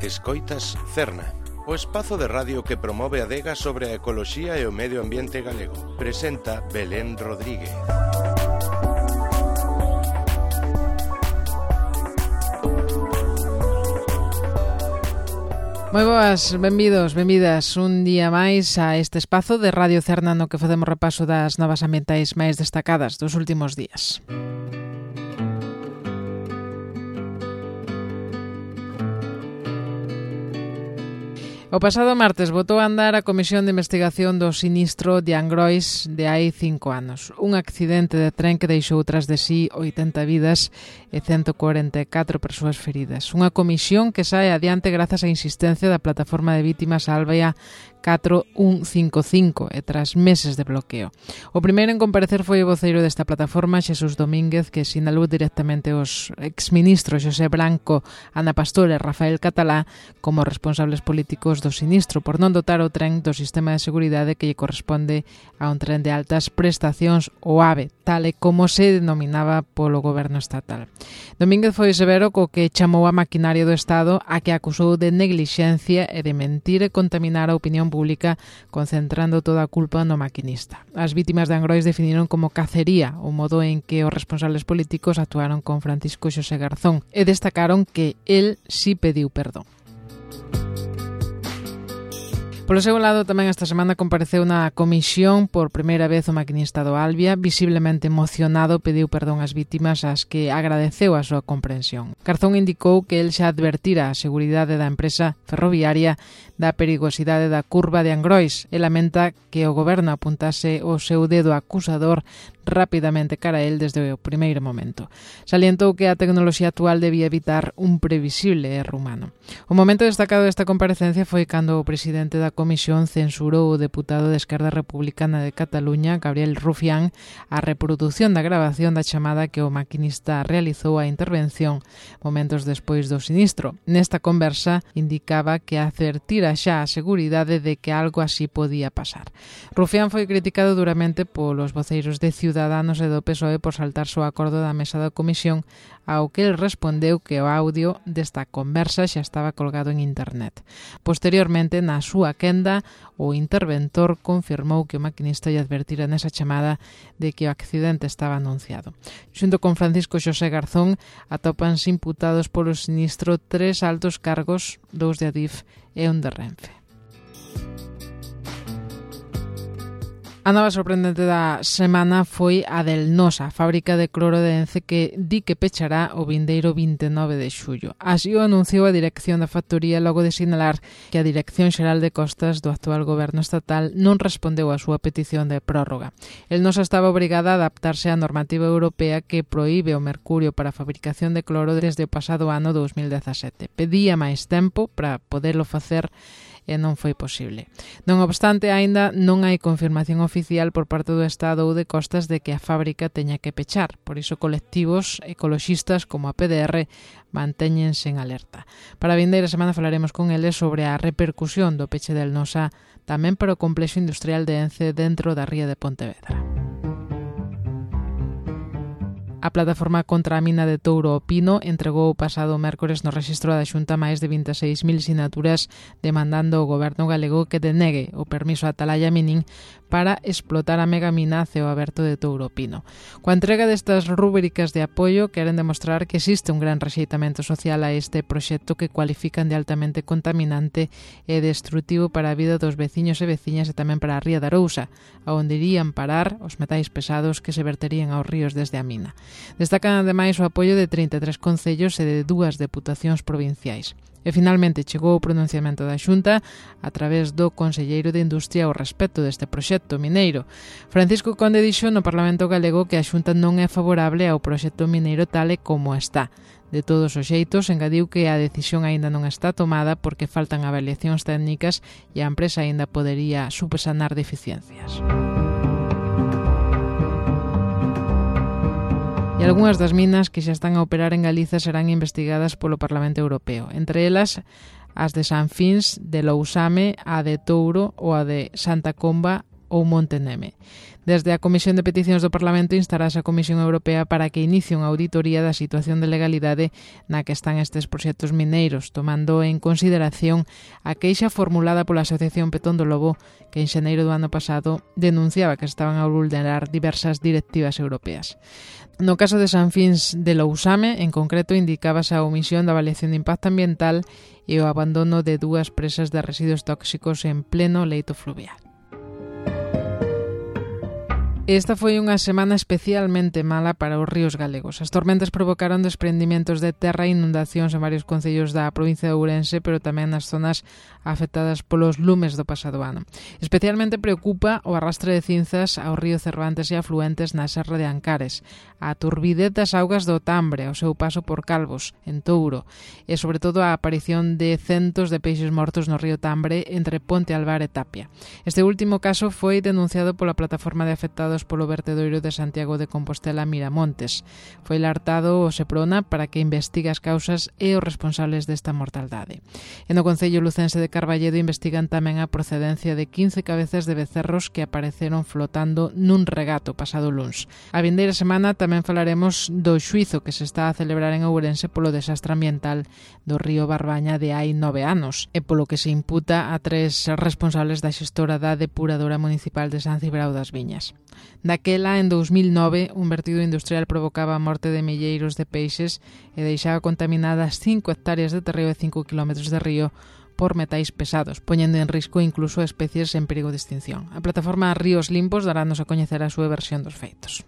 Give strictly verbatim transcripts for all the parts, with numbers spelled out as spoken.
Escoitas Cerna, o espazo de radio que promove a adega sobre a ecoloxía e o medio ambiente galego. Presenta Belén Rodríguez. Moi boas, benvidos, benvidas un día máis a este espazo de Radio Cerna no que facemos repaso das novas ambientais máis destacadas dos últimos días. O pasado martes botou a andar a Comisión de Investigación do sinistro de Angrois de hai cinco anos. Un accidente de tren que deixou tras de sí oitenta vidas e ciento corenta e catro persoas feridas. Unha comisión que sae adiante grazas á insistencia da plataforma de vítimas Albia catro un cinco cinco e tras meses de bloqueo. O primeiro en comparecer foi o voceiro desta plataforma, Xesús Domínguez, que sinalou directamente os exministros Xosé Branco, Ana Pastor e Rafael Catalá como responsables políticos do sinistro por non dotar o tren do sistema de seguridade que lle corresponde a un tren de altas prestacións, o AVE, tal e como se denominaba polo goberno estatal. Domínguez foi severo co que chamou a maquinaria do Estado, a que acusou de neglixencia e de mentir e contaminar a opinión pública, concentrando toda a culpa no maquinista. As vítimas de Angrois definiron como cacería o modo en que os responsables políticos actuaron con Francisco Xosé Garzón e destacaron que el sí pediu perdón. Polo seu lado, tamén esta semana compareceu na comisión por primeira vez o maquinista do Albia, visiblemente emocionado, pediu perdón ás vítimas ás que agradeceu a súa comprensión. Garzón indicou que el xa advertira a seguridade da empresa ferroviaria da perigosidade da curva de Angrois e lamenta que o goberno apuntase o seu dedo acusador rapidamente cara a el desde o primeiro momento. Salientou que a tecnoloxía actual debía evitar un previsible erro humano. O momento destacado desta comparecencia foi cando o presidente da comisión censurou o deputado de Esquerda Republicana de Cataluña, Gabriel Rufián, a reproducción da grabación da chamada que o maquinista realizou a intervención momentos despois do sinistro. Nesta conversa indicaba que advertira xa a seguridade de que algo así podía pasar. Rufián foi criticado duramente polos voceiros de Ciudadanos e do P S O E por saltarse o acordo da mesa da comisión, ao que el respondeu que o audio desta conversa xa estaba colgado en internet. Posteriormente, na súa quenda, o interventor confirmou que o maquinista lle advertira nesa chamada de que o accidente estaba anunciado. Xunto con Francisco Xosé Garzón, atópanse imputados polo sinistro tres altos cargos, dous de Adif e un de Renfe. A nova sorprendente da semana foi a del Nosa, fábrica de cloro de Ence que di que pechará o vindeiro vinte e nove de xullo. Así o anunciou a dirección da factoría logo de sinalar que a Dirección Xeral de Costas do actual goberno estatal non respondeu á súa petición de prórroga. El Nosa estaba obrigada a adaptarse á normativa europea que proíbe o mercurio para a fabricación de cloro desde o pasado ano dous mil dezasete. Pedía máis tempo para poderlo facer e non foi posible. Non obstante, aínda non hai confirmación oficial por parte do Estado ou de Costas de que a fábrica teña que pechar. Por iso, colectivos ecoloxistas como a P D R mantéñense en alerta. Para a vindeira semana falaremos con eles sobre a repercusión do peche del Nosa tamén para o complexo industrial de Ence dentro da ría de Pontevedra. A plataforma contra a mina de Touro o Pino entregou o pasado mércores no rexistro da Xunta máis de vinte e seis mil sinaturas demandando ao goberno galego que denegue o permiso a Atalaya Mining para explotar a megamina a ceo aberto de Touro o Pino. Coa entrega destas rúbricas de apoio queren demostrar que existe un gran rexeitamento social a este proxecto que cualifican de altamente contaminante e destrutivo para a vida dos veciños e veciñas e tamén para a ría da Arousa, onde irían parar os metais pesados que se verterían aos ríos desde a mina. Destacan ademais o apoio de trinta e tres concellos e de dúas deputacións provinciais. E finalmente chegou o pronunciamento da Xunta a través do Conselleiro de Industria ao respecto deste proxecto mineiro. Francisco Conde dixo no Parlamento galego que a Xunta non é favorable ao proxecto mineiro tal e como está. De todos os xeitos, engadiu que a decisión aínda non está tomada porque faltan avaliacións técnicas e a empresa aínda podería subsanar deficiencias. E algunhas das minas que xa están a operar en Galiza serán investigadas polo Parlamento Europeo. Entre elas, as de San Fins, de Lousame, a de Touro ou a de Santa Comba ou Monte Neme. Desde a Comisión de Peticións do Parlamento instarase a Comisión Europea para que inicie unha auditoría da situación de legalidade na que están estes proxectos mineiros, tomando en consideración a queixa formulada pola Asociación Petón do Lobo, que en xaneiro do ano pasado denunciaba que estaban a vulnerar diversas directivas europeas. No caso de San Fins de Lousame, en concreto, indicábase a omisión da avaliación de impacto ambiental e o abandono de dúas presas de residuos tóxicos en pleno leito fluvial. Esta foi unha semana especialmente mala para os ríos galegos. As tormentas provocaron desprendimentos de terra e inundacións en varios concellos da provincia de Ourense, pero tamén nas zonas afectadas polos lumes do pasado ano. Especialmente preocupa o arrastre de cinzas ao río Cervantes e afluentes na serra de Ancares, a turbidez das augas do Tambre, ao seu paso por Calvos, en Touro, e sobre todo a aparición de centos de peixes mortos no río Tambre entre Ponte Alvar e Tapia. Este último caso foi denunciado pola plataforma de afectados polo vertedoiro de Santiago de Compostela Miramontes. Foi lartado o Seprona para que investigue as causas e os responsables desta mortaldade. E no concello lucense de Carballedo investigan tamén a procedencia de quince cabezas de becerros que apareceron flotando nun regato pasado luns. A vindeira semana tamén falaremos do xuizo que se está a celebrar en Ourense polo desastre ambiental do río Barbaña de hai nove anos e polo que se imputa a tres responsables da xestora da depuradora municipal de San Cibrao das Viñas. Daquela, en dous mil nove, un vertido industrial provocaba a morte de milleiros de peixes e deixaba contaminadas cinco hectáreas de terreo e cinco kilómetros de río por metais pesados, poñendo en risco incluso especies en perigo de extinción. A plataforma Ríos Limpos darános a coñecer a súa versión dos feitos.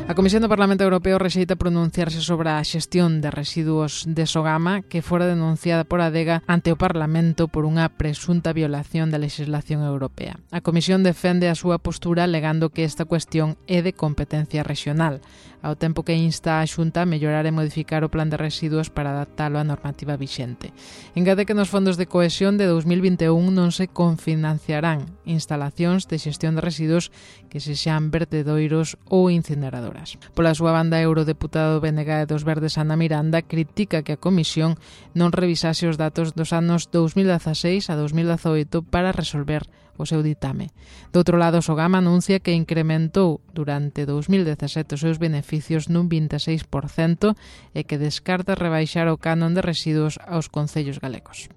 A Comisión do Parlamento Europeo rexeita pronunciarse sobre a xestión de residuos de Sogama que fora denunciada por Adega ante o Parlamento por unha presunta violación da legislación europea. A Comisión defende a súa postura alegando que esta cuestión é de competencia regional, ao tempo que insta a Xunta a mellorar e modificar o plan de residuos para adaptalo á normativa vixente. Engade que nos fondos de cohesión de dous mil vinte e un non se confinanciarán instalacións de xestión de residuos que se xan vertedoiros ou incineradoras. Pola súa banda, a eurodeputado B N G dos Verdes Ana Miranda critica que a Comisión non revisase os datos dos anos dous mil dezaseis a dous mil dezoito para resolver o seu ditame. Do outro lado, Sogama anuncia que incrementou durante dous mil dezasete os seus beneficios nun vinte e seis por cento e que descarta rebaixar o canon de residuos aos concellos galegos.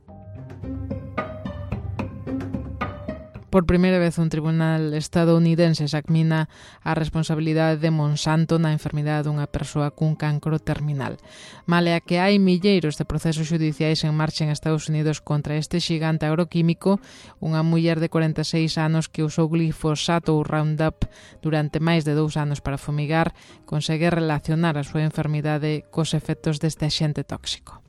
Por primeira vez, un tribunal estadounidense examina a responsabilidade de Monsanto na enfermidade dunha persoa cun cancro terminal. Male a que hai milleiros de procesos judiciais en marcha en Estados Unidos contra este xigante agroquímico, unha muller de cuarenta e seis anos que usou glifosato ou Roundup durante máis de dous anos para fumigar consegue relacionar a súa enfermidade cos efectos deste axente tóxico.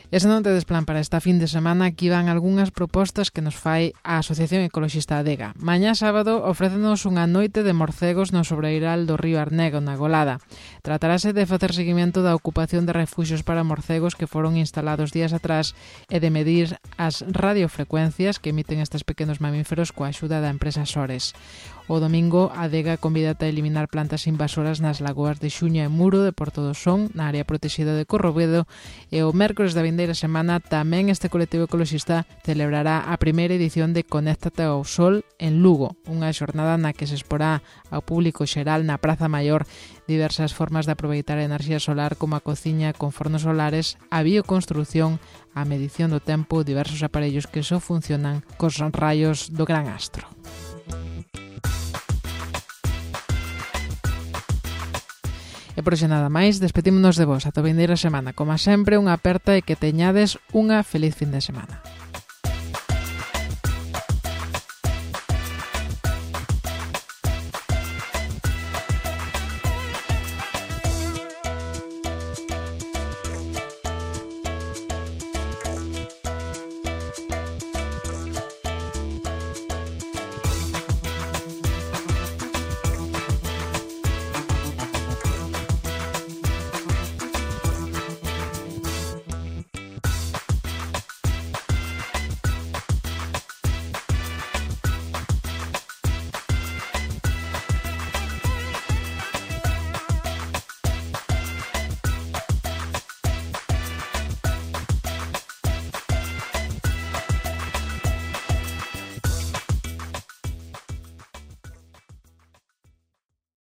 E se non tedes plan para esta fin de semana, aquí van algunhas propostas que nos fai a Asociación Ecoloxista Adega. Mañá sábado ofrécenos unha noite de morcegos no sobreiral do río Arnego, na Golada. Tratarase de facer seguimento da ocupación de refuxios para morcegos que foron instalados días atrás e de medir as radiofrecuencias que emiten estes pequenos mamíferos coa axuda da empresa Sores. O domingo, a Adega convídate a eliminar plantas invasoras nas lagoas de Xuña e Muro de Porto do Son, na área protexida de Corrobedo, e o mércores da vindeira semana tamén este colectivo ecoloxista celebrará a primeira edición de Conéctate ao Sol en Lugo, unha xornada na que se exporá ao público xeral na Praza Maior diversas formas de aproveitar a enerxía solar como a cociña con fornos solares, a bioconstrucción, a medición do tempo, diversos aparellos que só funcionan cos raios do gran astro. E por xe nada máis, despedímonos de vos ata a vindeira semana. Como sempre, unha aperta e que teñades unha feliz fin de semana.